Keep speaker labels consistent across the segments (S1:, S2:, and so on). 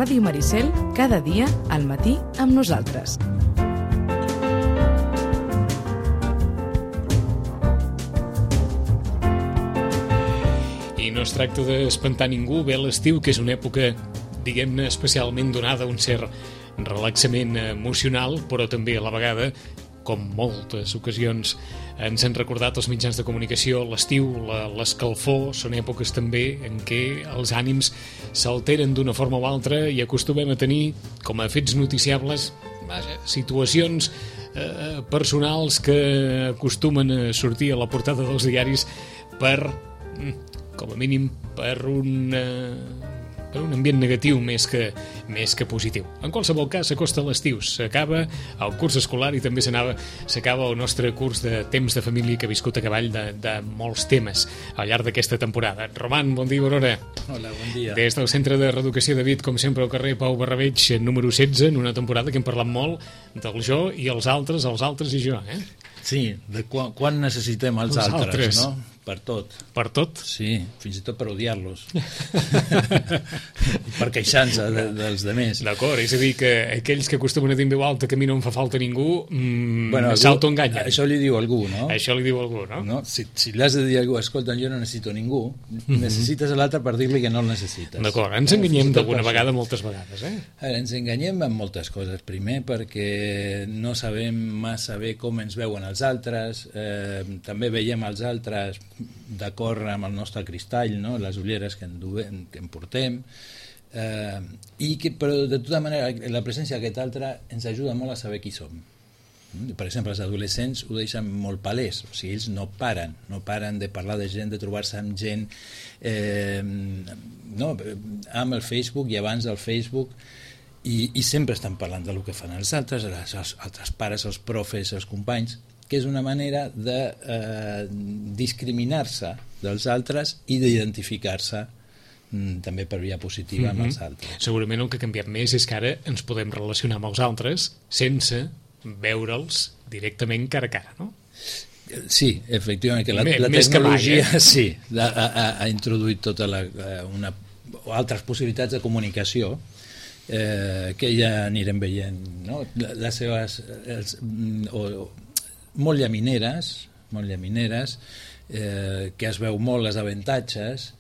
S1: Ràdio Maricel, cada dia al matí amb nosaltres.
S2: I no es tracta d'espantar ningú, ve l'estiu, que és una època, diguem-ne, especialment donada a un cert relaxament emocional, però també a la vegada, com moltes ocasions ens han recordat els mitjans de comunicació, l'estiu, l'escalfor, són èpoques també en què els ànims s'alteren d'una forma o altra i acostumem a tenir, com a fets noticiables, situacions personals que acostumen a sortir a la portada dels diaris per, com a mínim, per un ambient negatiu més que positiu. En qualsevol cas, s'acosta l'estiu, s'acaba el curs escolar i també s'acaba el nostre curs de temps de família que ha viscut a cavall de molts temes al llarg d'aquesta temporada. Roman, bon dia, bona hora.
S3: Hola, bon dia.
S2: Des del Centre de Reeducació de Vic, com sempre, al carrer Pau Barrabeig, número 16, en una temporada que hem parlat molt del jo i els altres i jo, eh?
S3: Sí, de quan necessitem els altres, no? Per tot.
S2: Per tot?
S3: Sí, fins i tot per odiar-los. I per queixar-se dels demés.
S2: D'acord, és a dir, que aquells que acostumen a dir en veu alta que a mi no em fa falta ningú, s'autoenganyen.
S3: Això li diu algú, no?
S2: Això li diu algú, no?
S3: Si li has de dir a algú, escolta, jo no necessito ningú, necessites l'altre per dir-li que no el necessites.
S2: D'acord, ens enganyem d'alguna vegada, moltes vegades, eh?
S3: Ens enganyem en moltes coses. Primer, perquè no sabem massa bé com ens veuen els altres, també veiem els altres d'acord amb el nostre cristall, no? Les ulleres que en portem, però de tota manera la presència d'aquest altre ens ajuda molt a saber qui som. Per exemple, els adolescents ho deixen molt palès, o sigui, ells no paren de parlar de gent, de trobar-se amb gent amb el Facebook i abans del Facebook, i sempre estan parlant del que fan els altres, els altres pares, els profes, els companys, que és una manera de discriminar-se dels altres i d'identificar-se també per via positiva amb els altres.
S2: Segurament el que ha canviat més és que ara ens podem relacionar amb els altres sense veure'ls directament cara a cara, no?
S3: Sí, efectivament, que la tecnologia ha introduït tota altres possibilitats de comunicació que ja anirem veient, no? Les seves molt llamineres, que es veu molt les avantatges,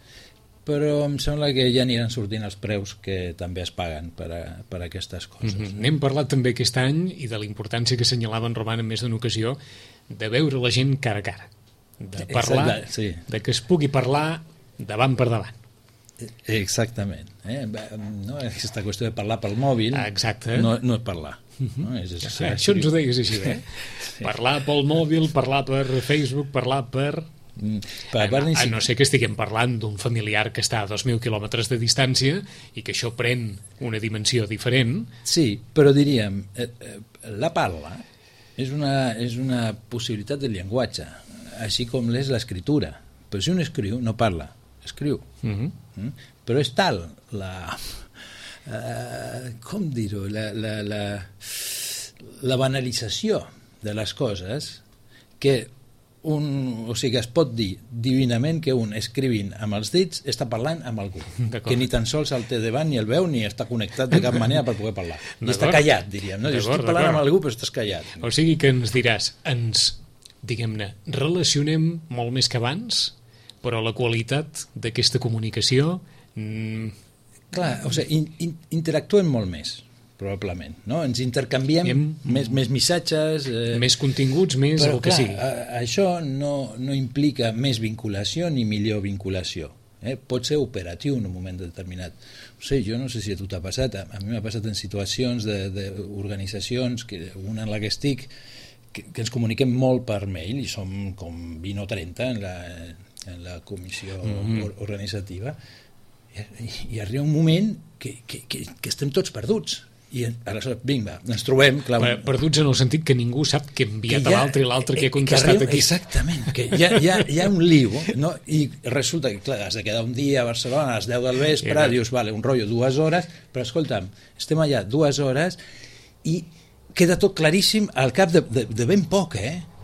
S3: però em sembla que ja aniran sortint els preus que també es paguen per aquestes coses.
S2: N'hem parlat també aquest any i de la importància que assenyalava en Roman en més d'una ocasió de veure la gent cara a cara, de parlar, de que es pugui parlar davant per davant.
S3: Exactament. No? Aquesta qüestió de parlar pel mòbil no és parlar. No?
S2: Això ens ho deies així, eh? Sí. Parlar pel mòbil, parlar per Facebook, parlar per... A no ser que estiguem parlant d'un familiar que està a 2.000 quilòmetres de distància i que això pren una dimensió diferent.
S3: Sí, però diríem, la parla és una possibilitat de llenguatge, així com l'és l'escriptura. Però si un escriu, no parla, escriu. Però és tal com dir-ho, la banalització de les coses que es pot dir divinament que un escrivint amb els dits està parlant amb algú, que ni tan sols el té davant ni el veu ni està connectat de cap manera per poder parlar. I està callat, diríem. No? Estic parlant amb algú però estàs callat.
S2: O sigui que ens diràs, diguem-ne, relacionem molt més que abans, però la qualitat d'aquesta comunicació...
S3: Clar, o sigui, interactuem molt més, probablement, no? Ens intercanviem més missatges...
S2: Més continguts, més el que sigui.
S3: Això no implica més vinculació ni millor vinculació. Pot ser operatiu en un moment determinat. Jo no sé si a tu t'ha passat, a mi m'ha passat en situacions d'organitzacions, una en la que estic, que ens comuniquem molt per mail, i som com 20 o 30 en la comissió organitzativa, i arriba un moment que estem tots perduts i aleshores, vinga, ens trobem
S2: perduts en el sentit que ningú sap que ha enviat a l'altre i l'altre que ha contestat aquí.
S3: Exactament, que hi ha un lío, no? I resulta que clar, has de quedar un dia a Barcelona a les 10 del vespre, dius, vale, un rotllo 2 hores, però escolta'm, estem allà 2 hores i queda tot claríssim al cap de ben poc,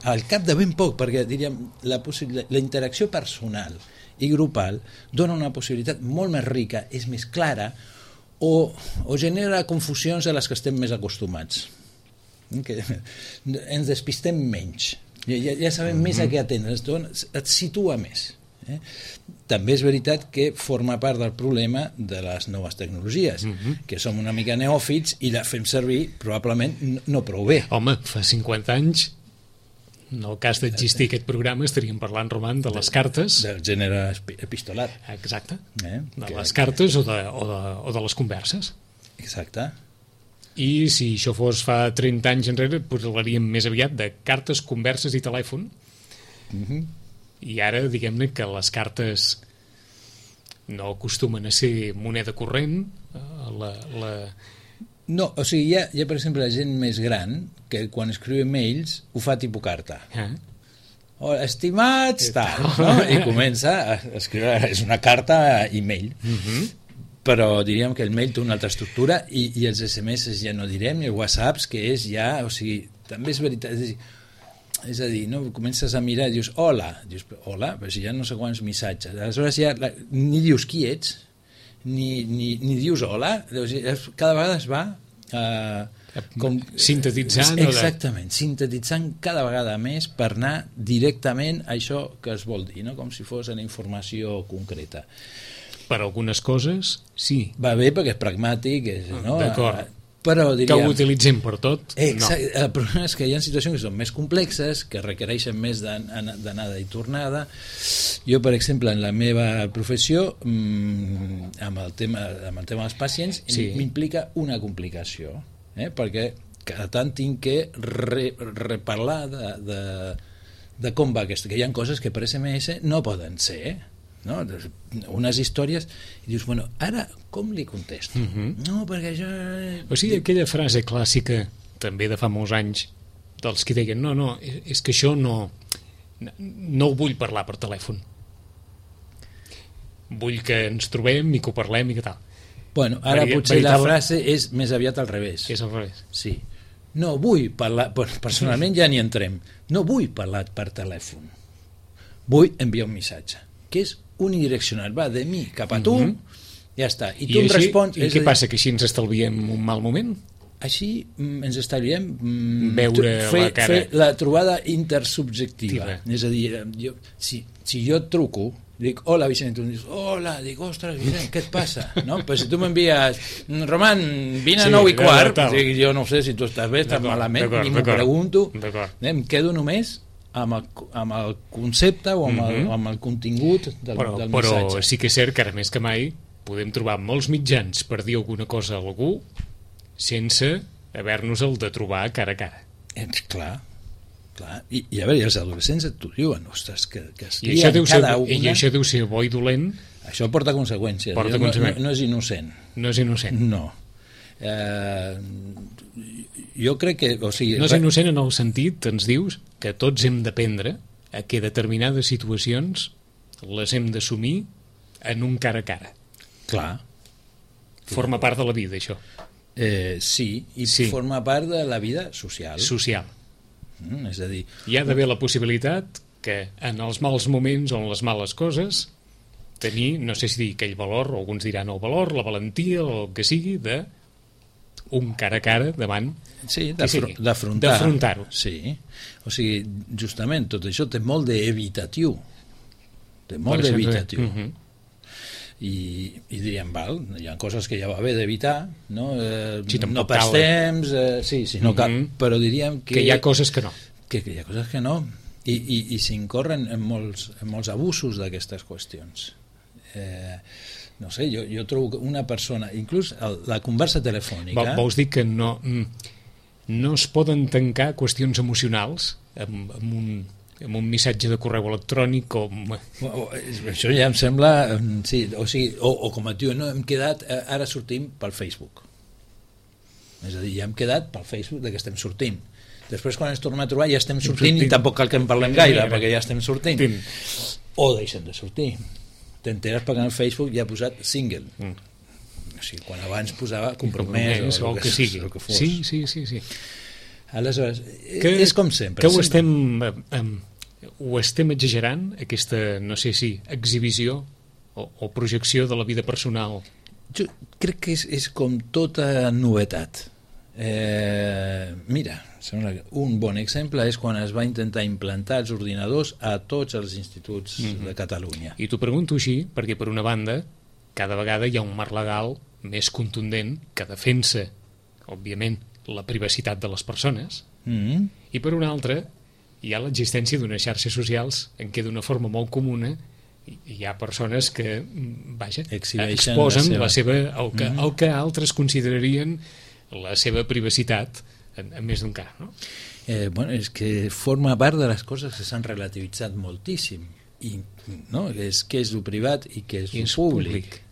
S3: al cap de ben poc, perquè diríem la interacció personal i grupal dona una possibilitat molt més rica, és més clara, o genera confusions a les que estem més acostumats. Que ens despistem menys. Ja sabem més a què atendre, et situa més. També és veritat que forma part del problema de les noves tecnologies, que som una mica neòfits i la fem servir probablement no prou bé.
S2: Home, fa 50 anys, en el cas d'existir aquest programa, estaríem parlant, Roman, de les cartes.
S3: Del gènere epistolar.
S2: Exacte. De les cartes o de les converses.
S3: Exacte.
S2: I si això fos fa 30 anys enrere, parlaríem més aviat de cartes, converses i telèfon. I ara, diguem-ne que les cartes no acostumen a ser moneda corrent.
S3: No, o sigui, hi ha per exemple la gent més gran que quan escriu e-mails ho fa tipus carta. Hola, estimats, tal, no? I comença a escriure, és una carta e-mail. Però diríem que el mail té una altra estructura i els SMS ja no direm, i els WhatsApps, que és ja, o sigui, també és veritat, és a dir, no? Comences a mirar i dius hola, però si ja no sé quants missatges, aleshores ja ni dius qui ets, ni dius hola, cada vegada es va
S2: sintetitzant.
S3: Exactament, sintetitzant cada vegada més per anar directament a això que es vol dir, no? Com si fos una informació concreta.
S2: Per algunes coses, sí.
S3: Va bé perquè és pragmàtic, no?
S2: D'acord.
S3: Però diríem...
S2: Que ho utilitzem per tot,
S3: exacte, no. El problema és que hi ha situacions que són més complexes, que requereixen més d'anada i tornada. Jo, per exemple, en la meva professió, amb el tema dels pacients, m'implica una complicació, perquè cada tant tinc que reparlar de com va aquesta, que hi ha coses que per SMS no poden ser, no? Unes històries i dius, bueno, ara com li contesto? No, perquè això...
S2: O sigui, aquella frase clàssica també de fa molts anys dels que deien, no, és que això no ho vull parlar per telèfon, vull que ens trobem i que ho parlem i que tal.
S3: Bueno, ara potser la frase és més aviat al revés.
S2: És al revés.
S3: Sí. No vull parlar, personalment ja n'hi entrem, no vull parlar per telèfon, vull enviar un missatge que és unidireccional, va de mi cap a tu, ja està, i tu em respons.
S2: I què passa, que així ens estalviem un mal moment?
S3: Així ens estalviem
S2: fer
S3: la trobada intersubjectiva. És a dir, si jo et truco, dic, hola Vicent, tu em dius, hola, dic, ostres Vicent, què et passa? No? Però si tu m'envies, Roman, vine a 9:15, dic, jo no sé si tu estàs bé, estàs malament, ni m'ho pregunto, em quedo només amb el concepte o amb el contingut del missatge.
S2: Però sí que és cert que ara més que mai podem trobar molts mitjans per dir alguna cosa a algú sense haver-nos-el de trobar cara a cara.
S3: Clar. I a veure, els adolescents t'ho diuen, ostres, que es crien cada una...
S2: I això deu ser bo i dolent.
S3: Això porta conseqüències. No és innocent.
S2: No és innocent.
S3: No. Jo crec que... O sigui,
S2: no és innocent en el sentit, ens dius, que tots hem d'aprendre a que determinades situacions les hem d'assumir en un cara a cara.
S3: Clar.
S2: Forma part de la vida, això.
S3: Sí, forma part de la vida social. És a dir...
S2: Hi ha d'haver la possibilitat que en els mals moments o en les males coses tenir, no sé si dir aquell valor, o alguns diran el valor, la valentia, o el que sigui, de un cara a cara davant, d'afrontar-ho.
S3: Sí, o sigui, justament tot això té molt d'evitatiu, i diríem, val, hi ha coses que ja va bé d'evitar, no pas temps, no cal, però diríem que
S2: hi ha coses que no,
S3: hi ha coses que no, i s'incorren en molts abusos d'aquestes qüestions. No sé, jo trobo que una persona, inclús la conversa telefònica...
S2: Vols dir que no es poden tancar qüestions emocionals amb un missatge de correu electrònic
S3: Això ja em sembla... Sí, o sigui, o com et diuen, no, hem quedat, ara sortim pel Facebook. És a dir, ja hem quedat pel Facebook que estem sortint. Després, quan ens tornem a trobar, ja estem sortint i tampoc cal que en parlem gaire, perquè ja estem sortint. O deixem de sortir. T'enteres perquè en el Facebook ja ha posat single. O sigui, quan abans posava compromès
S2: o el que sigui. Sí.
S3: Aleshores, és com sempre.
S2: Que ho estem exagerant, aquesta, no sé si, exhibició o projecció de la vida personal
S3: Jo crec que és com tota novetat. Mira, un bon exemple és quan es va intentar implantar els ordinadors a tots els instituts de Catalunya.
S2: I t'ho pregunto així perquè, per una banda, cada vegada hi ha un marc legal més contundent que defensa, òbviament, la privacitat de les persones, i per una altra hi ha l'existència d'unes xarxes socials en què d'una forma molt comuna hi ha persones que, vaja, exposen el que altres considerarien la seva privacitat en més d'un cas, no?
S3: Bueno, és que forma part de les coses que s'han relativitzat moltíssim, i, no? Què és el privat i què és el públic.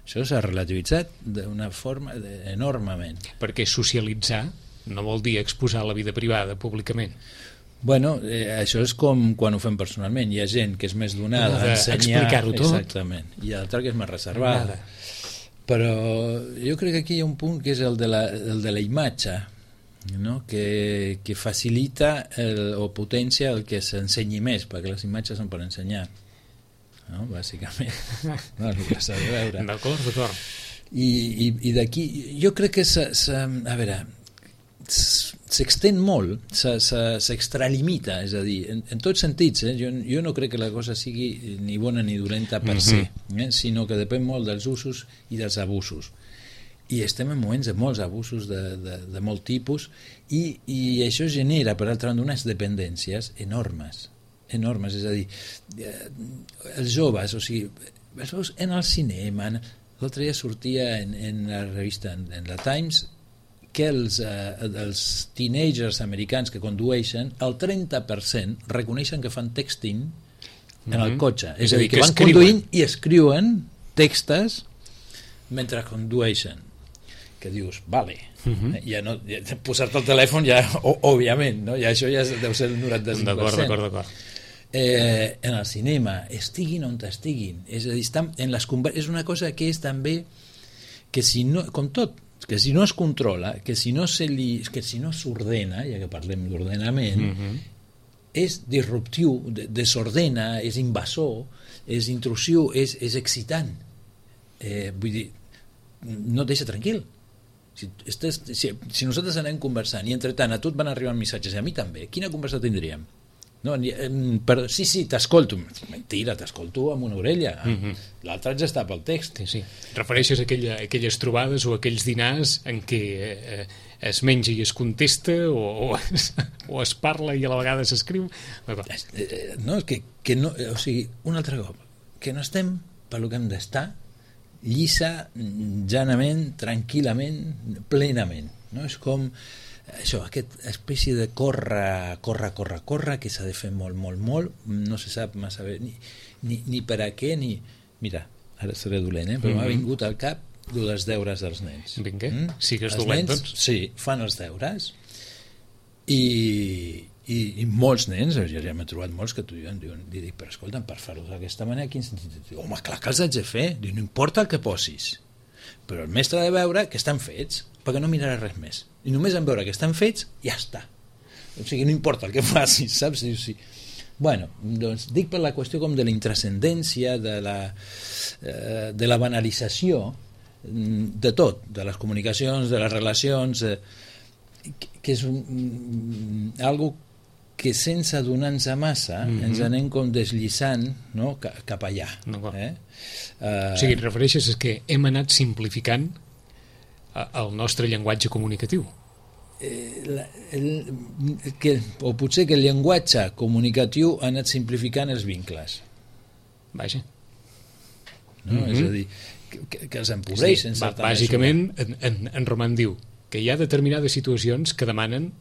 S3: Això s'ha relativitzat d'una forma enormement.
S2: Perquè socialitzar no vol dir exposar la vida privada públicament.
S3: Bueno, això és com quan ho fem personalment. Hi ha gent que és més donada a ensenyar,
S2: explicar-ho tot.
S3: Exactament, i l'altra que és més reservada. Però jo crec que aquí hi ha un punt que és el de la imatge, no? que facilita o potencia el que s'ensenyi més, perquè les imatges són per ensenyar, no? Bàsicament. No, el que s'ha de veure.
S2: D'acord.
S3: I d'aquí, jo crec que a veure, s'extén molt, s'extralimita, és a dir, en tots sentits, jo no crec que la cosa sigui ni bona ni dolenta per se, sinó que depèn molt dels usos i dels abusos. I estem en moments de molts abusos de molt tipus, i això genera, per altra banda, unes dependències enormes, és a dir, els joves, o sigui, en el cinema, l'altre dia sortia en la revista, en la Times, que els teenagers americans que condueixen, el 30% reconeixen que fan texting en el cotxe. És a dir, que van conduint i escriuen textos mentre condueixen. Que dius, vale, ja no, posar-te el telèfon ja, òbviament, no? Ja això ja deu ser el 95%.
S2: D'acord.
S3: En el cinema, estiguin on estiguin. És a dir, és una cosa que és també que si no, com tot, que si no es controla, que si no s'ordena, ja que parlem d'ordenament, és disruptiu, desordena, és invasor, és intrusiu, és excitant. Vull dir, no et deixa tranquil. Si nosaltres anem conversant i entretant a tu et van arribant missatges i a mi també, quina conversa tindríem? No, sí, t'escolto. Mentira, t'escolto amb una orella. L'altre ja està pel text.
S2: Sí. Refereixes a aquelles trobades o aquells dinars en què es menja i es contesta o es parla i a la vegada s'escriu?
S3: No, que no, o sigui, un altre cop, que no estem per lo que hem d'estar, llisa, llanament, tranquil·lament, plenament. No? És com això, aquesta espècie de córrer, que s'ha de fer molt, no se sap massa bé ni per a què, ni... Mira, ara seré dolent, però m'ha vingut al cap dels deures dels nens.
S2: Vinga, sigues dolent, doncs.
S3: Sí, fan els deures i molts nens, ja m'he trobat molts que t'ho diuen, però escolta'm, per fer-ho d'aquesta manera, quin sentit? Diu, home, clar que els haig de fer. Diu, no importa el que posis, però el mestre ha de veure que estan fets, perquè no mirarà res més. I només en veure que estan fets, ja està. O sigui, no importa el que facis, saps? Sí. Bueno, doncs dic per la qüestió com de la intrascendència, de la banalització de tot, de les comunicacions, de les relacions, que és algo que sense adonar-nos massa ens anem com deslliçant, no? Cap allà.
S2: O sigui, et refereixes a que hem anat simplificant el nostre llenguatge comunicatiu?
S3: O potser que el llenguatge comunicatiu ha anat simplificant els vincles.
S2: Vaja.
S3: No? És a dir, que els empobreix en certa mesura.
S2: Bàsicament, en Roman diu que hi ha determinades situacions que demanen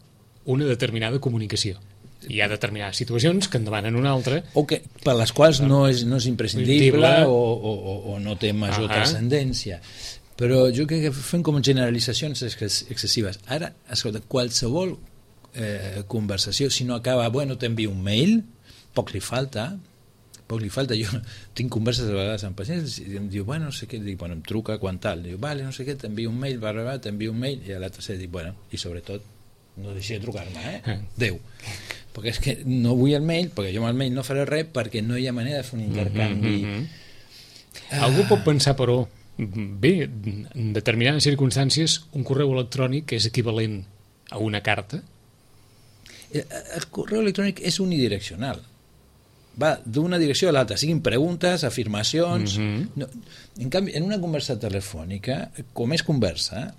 S2: una determinada comunicació. Hi ha determinades situacions que en demanen una altra.
S3: O que, per les quals no és imprescindible o no té major transcendència. Però jo crec que fem com generalitzacions excessives. Ara, escolta, qualsevol conversació, si no acaba, bueno, t'envio un mail, poc li falta. Jo tinc converses a vegades amb pacients i em diu, bueno, no sé què, dic, bueno, em truca quan tal, diu, vale, no sé què, t'envio un mail, t'envio un mail, i a l'altre se dic, bueno, i sobretot no deixi de trucar-me, Déu, perquè és que no vull el mail, perquè jo amb el mail no faré res, perquè no hi ha manera de fer un intercanvi.
S2: Algú pot pensar, però, bé, en determinades circumstàncies un correu electrònic és equivalent a una carta?
S3: El correu electrònic és unidireccional. Va d'una direcció a l'altra, siguin preguntes, afirmacions... No, en canvi, en una conversa telefònica, com és conversa,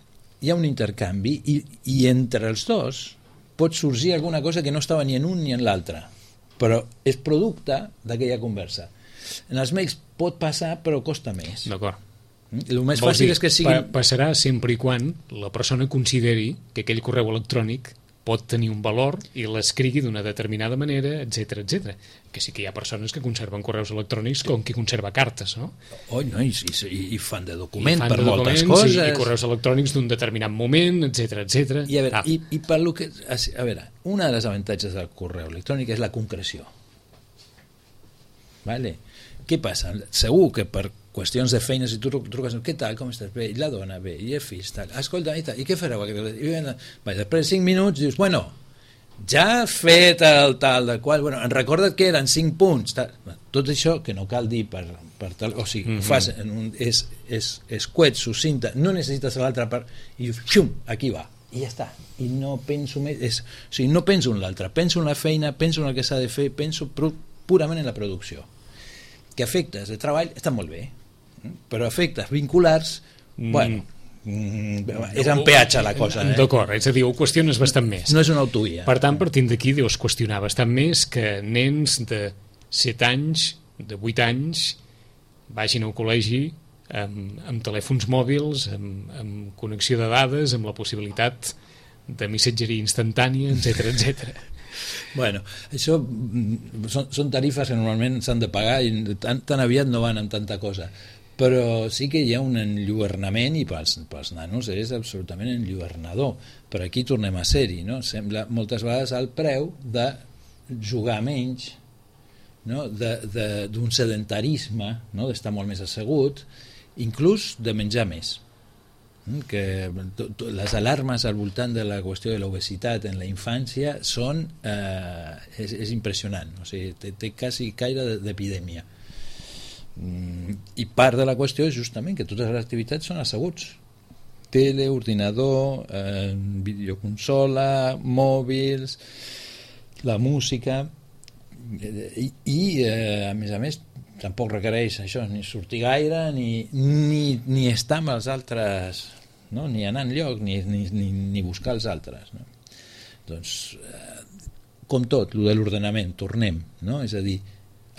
S3: hi ha un intercanvi i entre els dos pot sorgir alguna cosa que no estava ni en un ni en l'altre, però és producte d'aquella conversa. En els mails pot passar, però costa més.
S2: D'acord.
S3: El més fàcil és que sigui...
S2: Passarà sempre i quan la persona consideri que aquell correu electrònic pot tenir un valor i l'escrigui d'una determinada manera, etc etc. Que sí que hi ha persones que conserven correus electrònics com qui conserva cartes, no?
S3: No, i fan de document per moltes coses.
S2: I correus electrònics d'un determinat moment, etc etc.
S3: I a veure, i per lo que... A veure, una de les avantatges del correu electrònic és la concreció. Vale? Què passa? Segur que per qüestions de feina, si tu truques, què tal, com estàs? Bé, i la dona, bé, i el fill, tal. Escolta, i tal, i què fareu? Després de 5 minuts dius, bueno, ja has fet el tal, del qual, bueno, en recorda't que eren 5 punts. Tal. Tot això que no cal dir per tal, o sigui, fas és coet, sucinta, no necessites l'altra part, i dius, xum, aquí va, i ja està. I no penso més, o sigui, no penso en l'altre, penso en la feina, penso en el que s'ha de fer, penso purament en la producció. Que efectes de treball estan molt bé, però efectes vinculars, bueno, és en peatge la cosa.
S2: D'acord, és a dir, ho qüestiones bastant més.
S3: No és una autoria.
S2: Per tant, partint d'aquí, deus qüestionar bastant més que nens de 7 anys, de 8 anys, vagin al col·legi amb telèfons mòbils, amb connexió de dades, amb la possibilitat de missatgeria instantània, etc etc.
S3: Bueno, això són tarifes que normalment s'han de pagar i tan aviat no van amb tanta cosa, però sí que hi ha un enlluernament i pels nanos és absolutament enlluernador, però aquí tornem a ser-hi, no? Sembla moltes vegades al preu de jugar menys, no? D'un sedentarisme, no? D'estar molt més assegut, inclús de menjar més, que les alarmes al voltant de la qüestió de l'obesitat en la infància són és impressionant, o sigui, té quasi caire d'epidèmia, i part de la qüestió és justament que totes les activitats són asseguts, tele, ordinador, videoconsola, mòbils, la música, i a més tampoc requereix això, ni sortir gaire ni estar amb els altres, no? Ni anar enlloc ni buscar els altres, no? Doncs com tot, lo de l'ordenament, tornem, no? És a dir,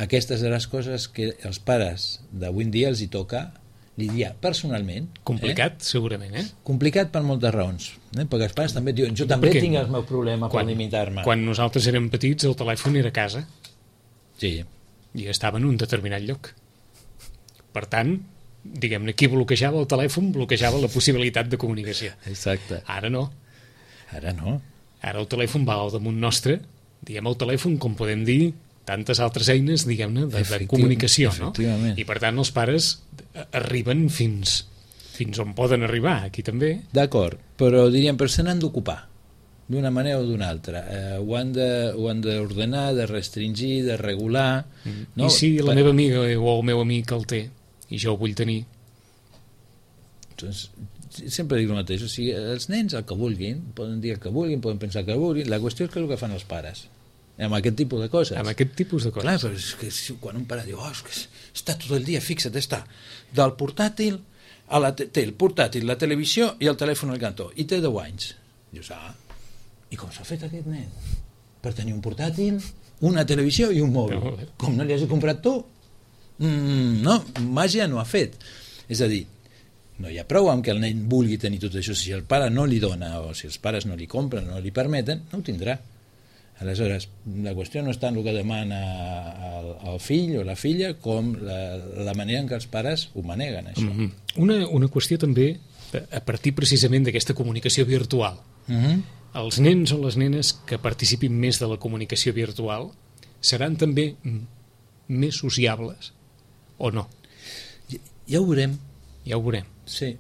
S3: aquestes de les coses que els pares d'avui en dia els hi toca lidiar personalment.
S2: Complicat, segurament,
S3: Complicat per moltes raons, perquè els pares també diuen, jo també tinc el meu problema per limitar-me.
S2: Quan nosaltres érem petits el telèfon era a casa.
S3: Sí.
S2: I estava en un determinat lloc. Per tant, diguem-ne, qui bloquejava el telèfon bloquejava la possibilitat de comunicació.
S3: Exacte.
S2: Ara no.
S3: Ara no.
S2: Ara el telèfon va al damunt nostre, diguem el telèfon, com podem dir, tantes altres eines, diguem-ne, de comunicació, no? I per tant els pares arriben fins on poden arribar, aquí també.
S3: D'acord, però diríem, però se n'han d'ocupar d'una manera o d'una altra, ho han d'ordenar, de restringir, de regular, no?
S2: I si la meva amiga o el meu amic el té i jo ho vull tenir?
S3: Doncs sempre dic el mateix, o sigui, els nens el que vulguin, poden dir el que vulguin, poden pensar el que vulguin, la qüestió és que és el que fan els pares amb aquest tipus de coses.
S2: Amb aquest tipus de coses.
S3: Clar, però és que quan un pare diu, és que està tot el dia, fixa't, està del portàtil té el portàtil, la televisió i el telèfon al cantó, i té 10 anys. Dius, i com s'ha fet aquest nen? Per tenir un portàtil, una televisió i un mòbil. No. Com no li hagi comprat tu? No, màgia no ha fet. És a dir, no hi ha prou amb que el nen vulgui tenir tot això. Si el pare no li dona, o si els pares no li compren, no li permeten, no ho tindrà. Aleshores, la qüestió no està en el que demana el fill o la filla, com la manera en què els pares ho maneguen, això.
S2: Una qüestió també, a partir precisament d'aquesta comunicació virtual. Els nens o les nenes que participin més de la comunicació virtual seran també més sociables o no?
S3: Ja ho veurem.
S2: Ja ho veurem.
S3: Sí,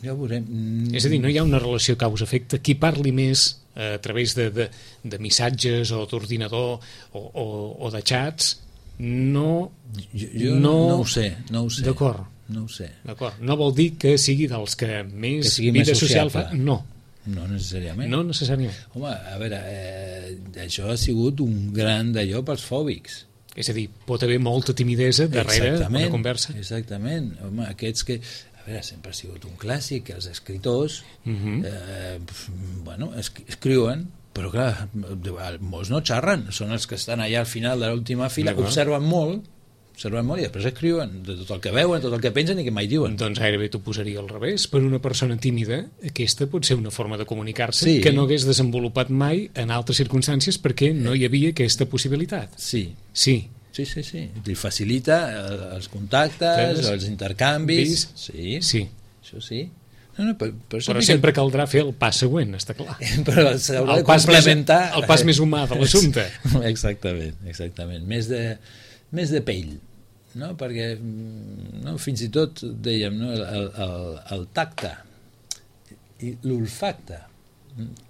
S3: ja ho veurem.
S2: És a dir, no hi ha una relació causa-efecte. Qui parli més a través de missatges o d'ordinador o de xats no
S3: ho sé.
S2: D'acord.
S3: no ho sé.
S2: D'acord, no vol dir que sigui dels que més
S3: sigui
S2: vida
S3: més
S2: social
S3: sociable.
S2: fa. No,
S3: No necessàriament.
S2: no necessàriament.
S3: Home, a veure, això ha sigut un gran d'allò pels fòbics.
S2: És a dir, pot haver molta timidesa darrere una conversa.
S3: Exactament. Home, aquests que... A veure, sempre ha sigut un clàssic, que els escriptors bueno, escriuen, però clar, molts no xerren, són els que estan allà al final de l'última fila, observen molt i després escriuen de tot el que veuen, tot el que pensen i que mai diuen.
S2: Doncs gairebé t'ho posaria al revés. Per una persona tímida, aquesta pot ser una forma de comunicar-se que no hagués desenvolupat mai en altres circumstàncies perquè no hi havia aquesta possibilitat.
S3: Sí.
S2: Sí.
S3: Li facilita els contactes, els intercanvis. Sí. Això sí.
S2: Però sempre caldrà fer el pas següent, està clar.
S3: Però s'haurà de complementar...
S2: El pas més humà de l'assumpte.
S3: Exactament. Més de pell, no? Perquè fins i tot, dèiem, no? el tacte i l'olfacte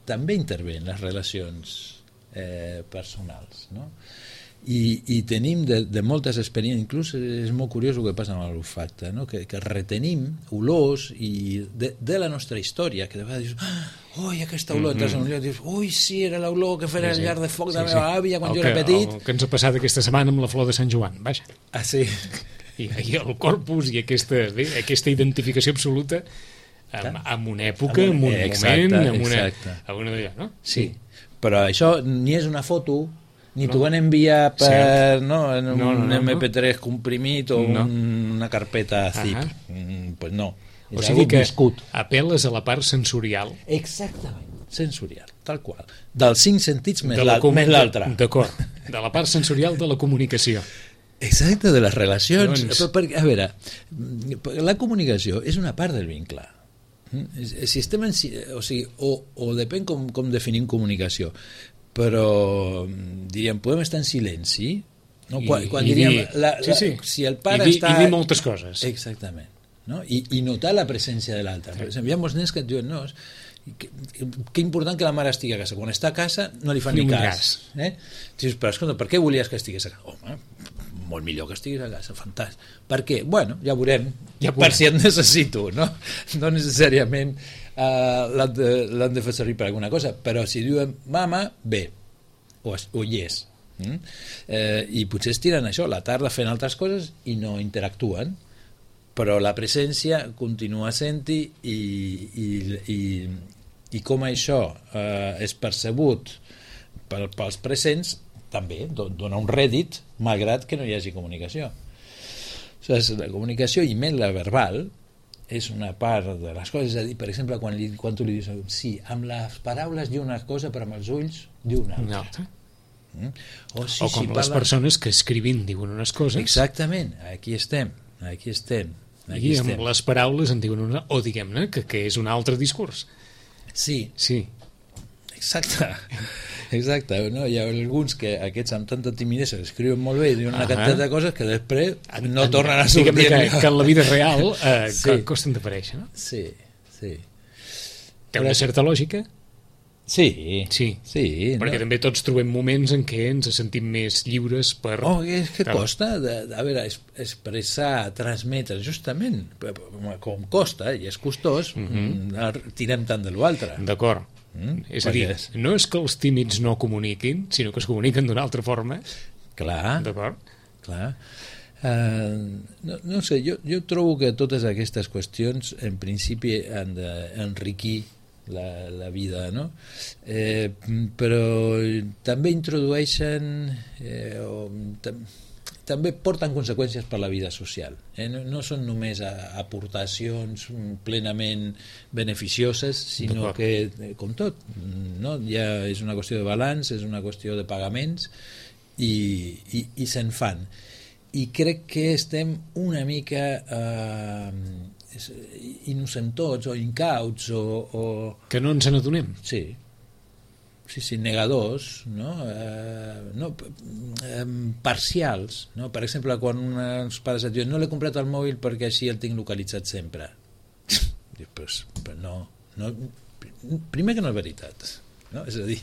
S3: també intervé en les relacions personals, no? I tenim de moltes experiències, inclús és molt curiós el que passa amb l'olfacte, no? que retenim olors de la nostra història, que de vegades dius, ui, aquesta olor, entres a un lloc i dius, ui, sí, era l'olor que feia al llarg de foc de la meva àvia quan jo era petit.
S2: El que ens ha passat aquesta setmana amb la flor de Sant Joan, vaja.
S3: Ah, sí?
S2: I el corpus i aquesta identificació absoluta amb una època, amb un moment, amb una d'allò, no?
S3: Sí, però això ni és una foto, ni t'ho van enviar per un MP3 comprimit o una carpeta zip. Pues no.
S2: O sigui que apel·les a la part sensorial.
S3: Exactament, sensorial, tal qual. Dels 5 sentits més l'altre.
S2: D'acord, de la part sensorial de la comunicació.
S3: Exacte, de les relacions. A veure, la comunicació és una part del vincle. Si estem o depèn com definim comunicació, però diríem, podem estar en silenci, no? Quan diríem si el pare està...
S2: I dir moltes coses.
S3: Exactament, no? I notar la presència de l'altre. Per exemple, hi ha molts nens que et diuen, no, que important que la mare estigui a casa. Quan està a casa no li fan ni cas. Dius, però escolta, per què volies que estigués a casa? Home, molt millor que estiguis a casa, fantàstic. Per què? Bueno, ja veurem, per si et necessito, no? No necessàriament l'han de fer servir per alguna cosa, però si diuen mama, bé, o yes. I potser es tiren això, la tarda fent altres coses i no interactuen, però la presència continua sent-hi i com això és percebut pels presents, també dona un rèdit, malgrat que no hi hagi comunicació. La comunicació, i menys la verbal, és una part de les coses. És a dir, per exemple, quan tu li dius sí, amb les paraules diu una cosa, però amb els ulls diu una altra.
S2: O com les persones que escrivint diuen unes coses.
S3: Exactament, aquí estem.
S2: I amb les paraules en diuen una, o diguem-ne que és un altre discurs.
S3: Sí. Exacte, no? Hi ha alguns que aquests amb tanta timidesa escriuen molt bé i diuen una quantitat de coses que després no tornen a sortir.
S2: Que en la vida real costen d'aparèixer, no?
S3: Sí.
S2: Té una certa lògica?
S3: Sí.
S2: Perquè també tots trobem moments en què ens sentim més lliures per...
S3: és que costa, a veure, expressar, transmetre, justament, com costa, i és costós, tirem tant de l'altre.
S2: D'acord. És a dir, no és que els tímids no comuniquin, sinó que es comuniquen d'una altra forma.
S3: Clar.
S2: D'acord.
S3: Clar. No sé, jo trobo que totes aquestes qüestions en principi han d'enriquir la vida, no? Però també introdueixen també porten conseqüències per la vida social. No són només aportacions plenament beneficioses, sinó que, com tot, no? Ja és una qüestió de balanç, és una qüestió de pagaments i se'n fan. I crec que estem una mica innocentots o incauts o...
S2: Que no ens n'adonem.
S3: Sí, negadors, no? Parcials, no? Per exemple, quan uns pares et diuen no l'he comprat al mòbil perquè així el tinc localitzat sempre. Dius, però no, primer que no és veritat, no? És a dir,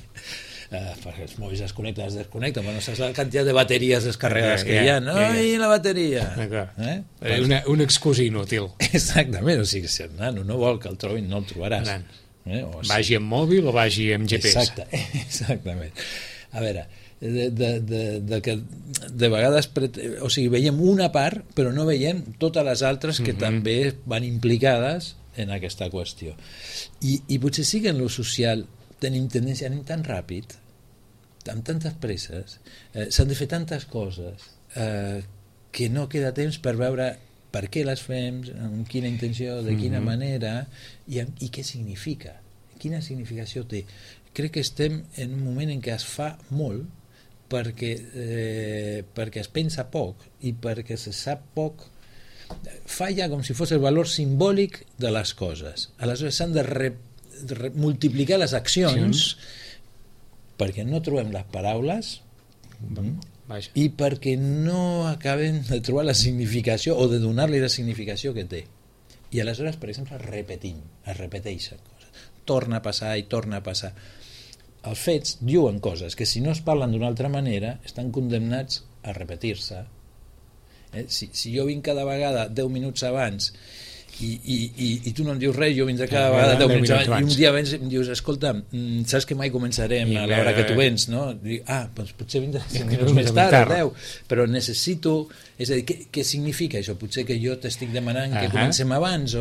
S3: perquè els mòbils es connecten, es desconnecten, però no saps la quantitat de bateries descarregades que hi ha. I la bateria!
S2: Una excusa inútil.
S3: Exactament, o sigui, si el nano no vol que el trobin, no el trobaràs.
S2: Vagi amb mòbil o vagi amb GPS.
S3: Exactament. A veure, de vegades, o sigui, veiem una part, però no veiem totes les altres que també van implicades en aquesta qüestió. I potser sí que en lo social tenim tendència, anem tan ràpid, amb tantes presses, s'han de fer tantes coses que no queda temps per veure per què les fem, amb quina intenció, de quina manera i què significa, quina significació té. Crec que estem en un moment en què es fa molt perquè es pensa poc i perquè se sap poc. Falla com si fos el valor simbòlic de les coses. Aleshores s'han de multiplicar les accions perquè no trobem les paraules i perquè no acabem de trobar la significació o de donar-li la significació que té. I aleshores, per exemple, es repeteixen coses. Torna a passar i torna a passar. Els fets diuen coses que si no es parlen d'una altra manera estan condemnats a repetir-se. Si jo vinc cada vegada 10 minuts abans i tu no em dius res, jo vindré cada vegada 10 minuts abans i un dia vens i em dius, escolta, saps que mai començarem a l'hora que tu vens, no? Dic, doncs potser vindré 5 minuts més tard, 10, però necessito, és a dir, què significa això? Potser que jo t'estic demanant que comencem abans,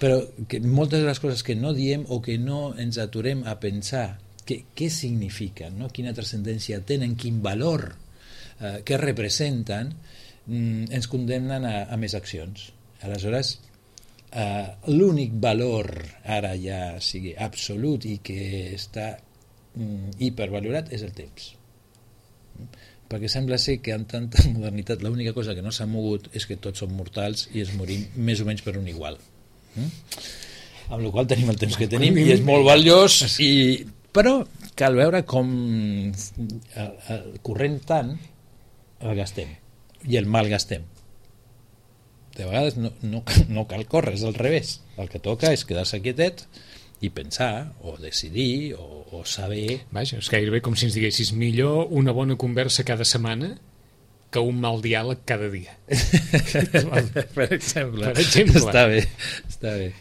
S3: però que moltes de les coses que no diem o que no ens aturem a pensar què signifiquen, no? Quina transcendència tenen, quin valor, què representen, ens condemnen a més accions. Aleshores, l'únic valor ara ja sigui absolut i que està hipervalorat és el temps, perquè sembla ser que amb tanta modernitat l'única cosa que no s'ha mogut és que tots som mortals i es morim més o menys per un igual, amb la qual tenim el temps que tenim i és molt valiós, però cal veure com el corrent tant el gastem i el malgastem. De vegades no cal córrer, és al revés. El que toca és quedar-se quietet i pensar, o decidir, o saber...
S2: Vaja, és gairebé com si ens diguessis millor una bona conversa cada setmana que un mal diàleg cada dia.
S3: Per exemple. Està bé.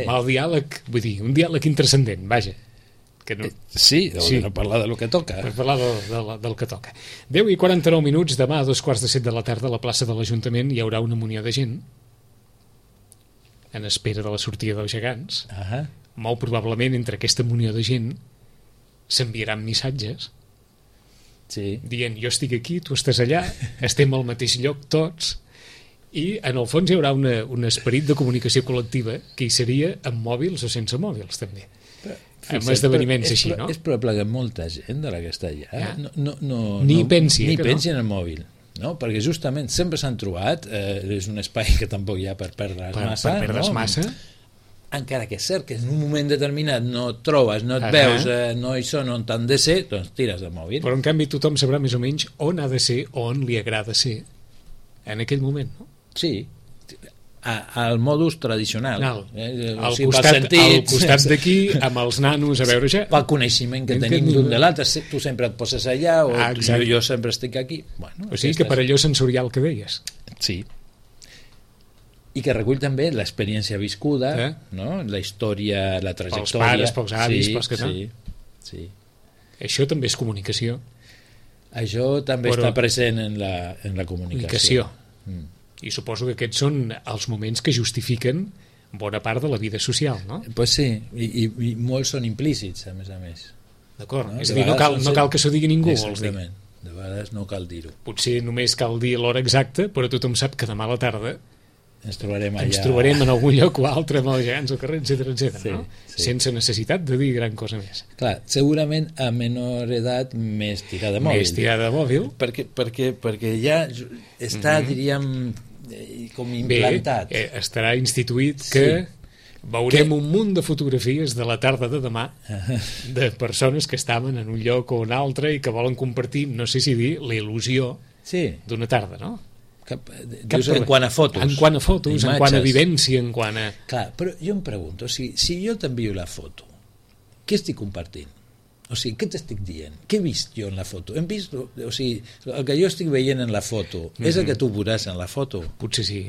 S2: Mal diàleg, vull dir, un diàleg intrascendent, vaja.
S3: Sí, no parlar del que toca.
S2: Per parlar del que toca. 10:49, demà a 7:15 de la tarda a la plaça de l'Ajuntament hi haurà una munió de gent en espera de la sortida dels gegants. Molt probablement entre aquesta munió de gent s'enviaran missatges dient jo estic aquí, tu estàs allà, estem al mateix lloc tots, i en el fons hi haurà un esperit de comunicació col·lectiva que hi seria amb mòbils o sense mòbils també. Amb esdeveniments així, no?
S3: És probable que molta gent de la que està allà
S2: ni pensi
S3: en el mòbil, no? Perquè justament sempre s'han trobat, és un espai que tampoc hi ha per perdre's massa, encara que és cert que en un moment determinat no et trobes, no et veus, no hi són on t'han de ser, doncs tires del mòbil.
S2: Però en canvi tothom sabrà més o menys on ha de ser, on li agrada ser en aquell moment, no?
S3: Sí, al modus tradicional,
S2: al costat d'aquí amb els nanos a veure ja
S3: pel coneixement que tenim d'un de l'altre, tu sempre et poses allà o jo sempre estic aquí,
S2: o sigui que per allò sensorial que deies,
S3: sí, i que recull també l'experiència viscuda, no? La història, la trajectòria
S2: pels pares, pels avis, pels que
S3: sí.
S2: Això també és comunicació,
S3: això també està present en la comunicació.
S2: I suposo que aquests són els moments que justifiquen bona part de la vida social, no?
S3: Pues sí, i molts són implícits, a més.
S2: D'acord, no? És a dir, no cal que s'ho digui ningú, vols dir.
S3: De vegades no cal dir-ho.
S2: Potser només cal dir l'hora exacta, però tothom sap que demà a la tarda
S3: ens trobarem allà.
S2: Ens trobarem en algun lloc o altre, amb els gegants al carrer, etc. No? Sense necessitat de dir gran cosa més.
S3: Clar, segurament a menor edat més tirada de mòbil. Perquè ja està, diríem, com implantat.
S2: Bé, estarà instituït que veurem un munt de fotografies de la tarda de demà de persones que estaven en un lloc o un altre i que volen compartir, no sé si dir, la il·lusió d'una tarda, no?
S3: En quant a fotos.
S2: En quant a vivència, en quant a...
S3: Clar, però jo em pregunto, si jo t'envio la foto, què estic compartint? O sigui, què t'estic dient? Què he vist jo en la foto? Hem vist, o sigui, el que jo estic veient en la foto és el que tu veuràs en la foto?
S2: Potser sí,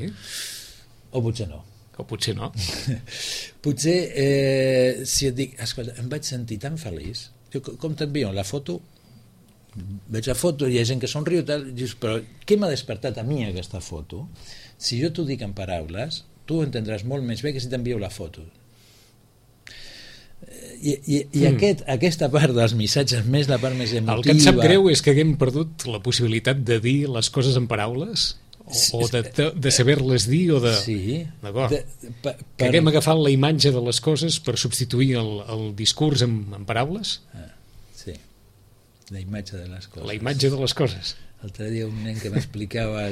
S3: O potser no.
S2: o potser no.
S3: Potser, si et dic, escolta, em vaig sentir tan feliç, jo, com t'envio la foto, veig la foto, hi ha gent que somriu, tal, dius, però què m'ha despertat a mi aquesta foto? Si jo t'ho dic en paraules, tu ho entendràs molt més bé que si t'envio la foto. I aquesta part dels missatges, més la part més emotiva...
S2: El que em sap greu és que haguem perdut la possibilitat de dir les coses en paraules, o de saber-les dir, o de...
S3: Sí.
S2: D'acord. Que haguem agafat la imatge de les coses per substituir el discurs en paraules?
S3: Sí, la imatge de les coses.
S2: La imatge de les coses.
S3: L'altre dia un nen que m'explicava,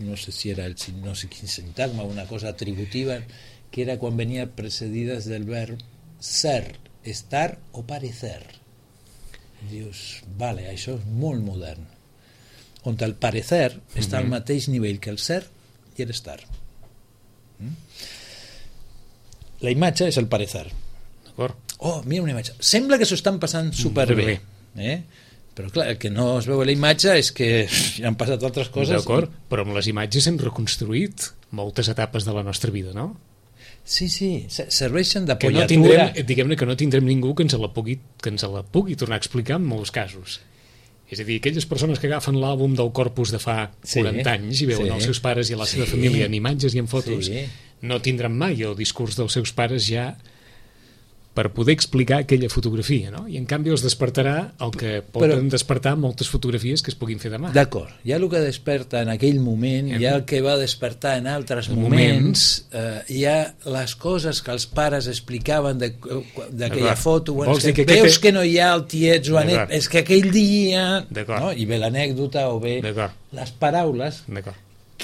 S3: no sé si era no sé quin sintagma, una cosa atributiva, que era quan venia precedides del verb ser, estar o parecer. Dius, vale, això és molt modern. On el parecer està al mateix nivell que el ser i l'estar. La imatge és el parecer.
S2: D'acord.
S3: Oh, mira una imatge. Sembla que s'ho estan passant superbé. Però clar, el que no es veu a la imatge és que han passat altres coses.
S2: D'acord, però amb les imatges hem reconstruït moltes etapes de la nostra vida, no?
S3: Sí, serveixen
S2: Que no
S3: d'apoyatura.
S2: tindrem, diguem-ne que no tindrem ningú que ens la pugui tornar a explicar en molts casos. És a dir, aquelles persones que agafen l'àlbum del Corpus de fa 40 anys i veuen els seus pares i la seva família en imatges i en fotos, no tindran mai el discurs dels seus pares ja per poder explicar aquella fotografia, no? I en canvi els despertarà el que poden despertar moltes fotografies que es puguin fer demà.
S3: D'acord, hi ha el que desperta en aquell moment, hi ha el que va despertar en altres moments, hi ha les coses que els pares explicaven d'aquella foto, és que veus que no hi ha el tiet Joanet, és que aquell dia, no? I ve l'anècdota o bé les paraules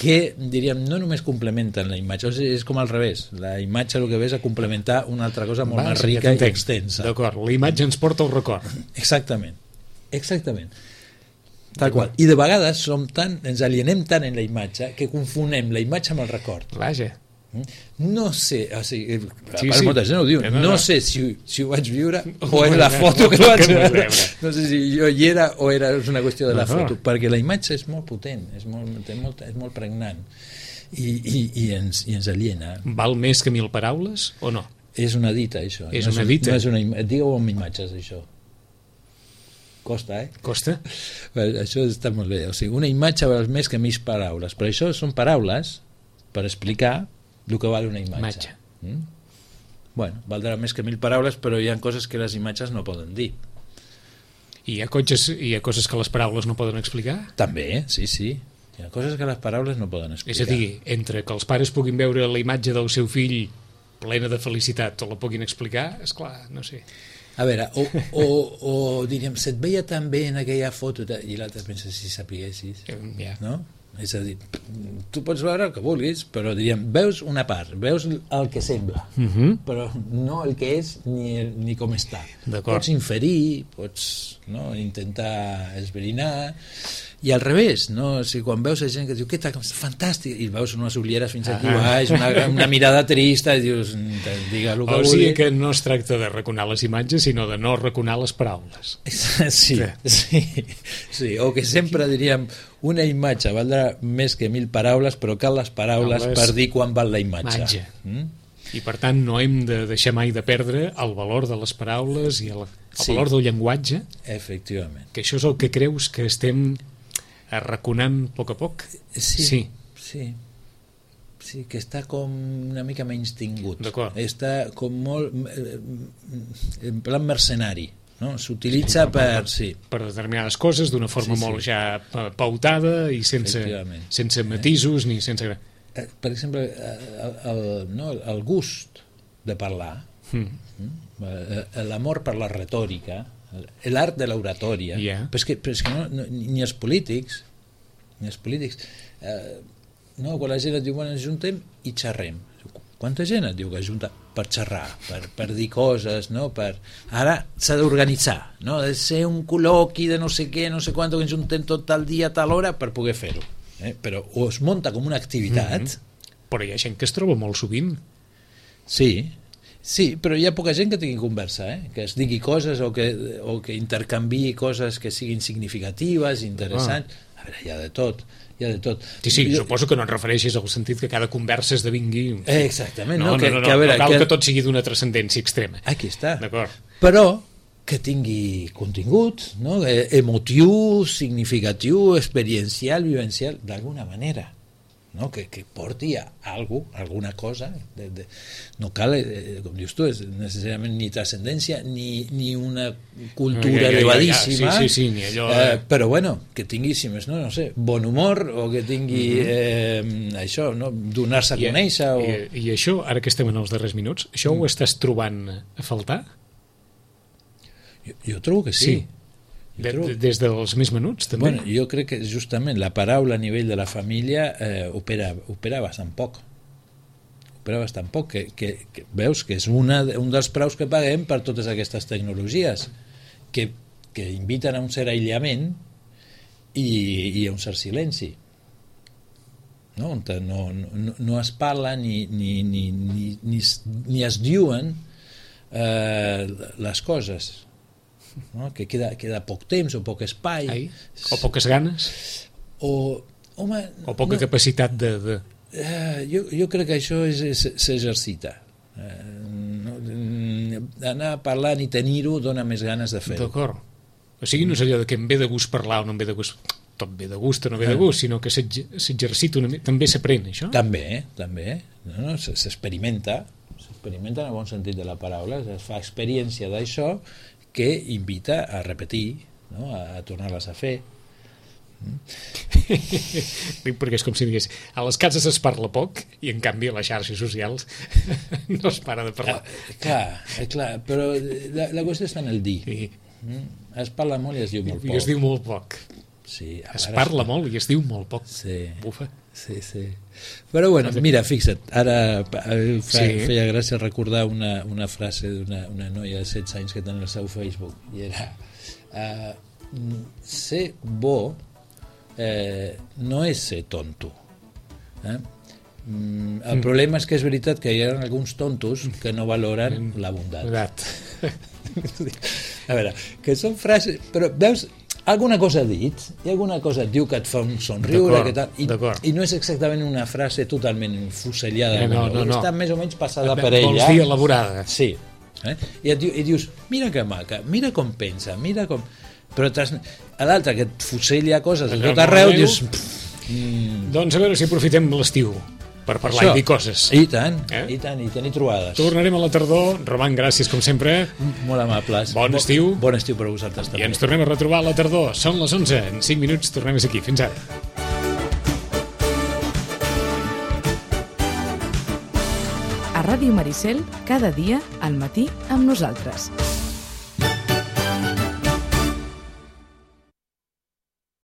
S3: que, diríem, no només complementen la imatge, o sigui, és com al revés, la imatge el que ve és a complementar una altra cosa molt més rica i extensa.
S2: D'acord, la imatge ens porta al record.
S3: Exactament. Tal qual. I de vegades ens alienem tant en la imatge que confonem la imatge amb el record.
S2: Vaja.
S3: No sé, o sigui, molta gent ho diu, no sé si ho vaig viure o és la foto que vaig veure. No sé si jo hi era o és una qüestió de la foto, perquè la imatge és molt potent, és molt pregnant i ens aliena.
S2: Val més que 1000 paraules o no?
S3: És una dita, això.
S2: És una dita?
S3: Digueu amb imatges, això. Costa,
S2: Costa?
S3: Això està molt bé. O sigui, una imatge val més que 1000 paraules, però això són paraules per explicar el que val una imatge. Bueno, valdrà més que 1000 paraules, però hi ha coses que les imatges no poden dir.
S2: I hi ha coses que les paraules no poden explicar?
S3: També, sí. Hi ha coses que les paraules no poden explicar.
S2: És a dir, entre que els pares puguin veure la imatge del seu fill plena de felicitat o la puguin explicar, esclar, no sé.
S3: A veure, o diríem, se't veia tan bé en aquella foto, i l'altre pensa, si sapiguessis, no? És a dir, tu pots veure el que vulguis, però diríem, veus una part, veus el que sembla, però no el que és ni com està. Pots inferir, pots intentar esbrinar, i al revés, no? O sigui, quan veus gent que diu que fantàstic, i veus unes ulleres fins aquí baix, una mirada trista, i dius, digue el que vulgui.
S2: O sigui que no es tracta de raconar les imatges, sinó de no raconar les paraules.
S3: Sí, o que sempre diríem, una imatge valdrà més que 1000 paraules, però cal les paraules per dir quan val la imatge.
S2: I per tant no hem de deixar mai de perdre el valor de les paraules i el valor del llenguatge.
S3: Efectivament.
S2: Que això és el que creus que estem arraconant a poc a poc?
S3: Sí, que està com una mica menys tingut. Està com molt en plan mercenari, no? S'utilitza per
S2: determinades coses d'una forma molt ja pautada i sense matisos ni sense...
S3: Per exemple, el gust de parlar, l'amor per la retòrica, l'art de l'oratòria, però és que ni els polítics quan la gent et diu, bueno, ens juntem i xerrem. Quanta gent et diu que es junta per xerrar, per dir coses, no? Ara s'ha d'organitzar, no? Ha de ser un col·loqui de no sé què, no sé quant, que ens juntem tot el dia a tal hora per poder fer-ho. Però o es munta com una activitat...
S2: Però hi ha gent que es troba molt sovint.
S3: Sí, Sí, però hi ha poca gent que tingui conversa, que es digui coses o que intercanviï coses que siguin significatives, interessants. A veure, hi ha de tot.
S2: Sí, suposo que no et refereixis al sentit que cada conversa esdevingui...
S3: Exactament.
S2: No cal que tot sigui d'una transcendència extrema.
S3: Aquí està.
S2: D'acord.
S3: Però que tingui contingut, no? Emotiu, significatiu, experiencial, vivencial, d'alguna manera. No? Que porti a alguna cosa no cal, com dius tu, necessàriament ni transcendència ni una cultura elevadíssima,
S2: sí, ni allò
S3: però bueno, que tingui, si més no sé, bon humor, o que tingui això, no? Donar-se a conèixer
S2: I això, ara que estem en els darrers minuts, això ho estàs trobant a faltar?
S3: Jo trobo que sí.
S2: Des dels més menuts, també?
S3: Bueno, jo crec que justament la paraula a nivell de la família opera bastant poc. Que veus que és un dels preus que paguem per totes aquestes tecnologies que inviten a un cert aïllament i a un cert silenci. No? No es parla ni es diuen les coses. No? Que queda poc temps o poc espai
S2: o poques ganes
S3: o
S2: poca capacitat de...
S3: Jo crec que això s'exercita, anar parlant i tenir-ho dona més ganes de fer-ho.
S2: D'acord, o sigui, no és allò de que em ve de gust parlar o no em ve de gust, tot ve de gust o no ve de gust, sinó que s'exercita una mica, també s'aprèn això?
S3: També. No, s'experimenta en el bon sentit de la paraula, es fa experiència d'això que invita a repetir, no? A tornar-les a fer.
S2: Perquè és com si digués, a les cases es parla poc i en canvi a les xarxes socials no es para de parlar.
S3: Clar, però la qüestió està en el dir. Es parla molt i es diu molt poc.
S2: I es diu molt poc.
S3: Sí,
S2: es parla molt i es diu molt poc.
S3: Sí.
S2: Bufa.
S3: Sí. Però bueno, mira, fixa't, ara feia gràcia recordar una frase d'una noia de 16 anys que tenia el seu Facebook, i era ser bo no és ser tonto. El problema és que és veritat que hi ha alguns tontos que no valoren la bondat. A veure, que són frases, però veus, alguna cosa ha dit, i alguna cosa et diu que et fa un somriure, i no és exactament una frase totalment fusellada,
S2: no.
S3: Està més o menys passada per ella.
S2: Vols dir elaborada.
S3: Sí. I dius, mira que maca, mira com pensa, mira com... Però a l'altre que et fusella coses a tot arreu, dius...
S2: Doncs a veure si aprofitem l'estiu per parlar i dir coses.
S3: I tant, i tenir trobades.
S2: Tornarem a la tardor. Roman, gràcies com sempre.
S3: Molt amables.
S2: Bon estiu.
S3: Bon estiu per a vosaltres també.
S2: I ens tornem a retrobar a la tardor. Són les 11. En 5 minuts tornem a ser aquí. Fins ara.
S1: A Ràdio Maricel, cada dia al matí amb nosaltres.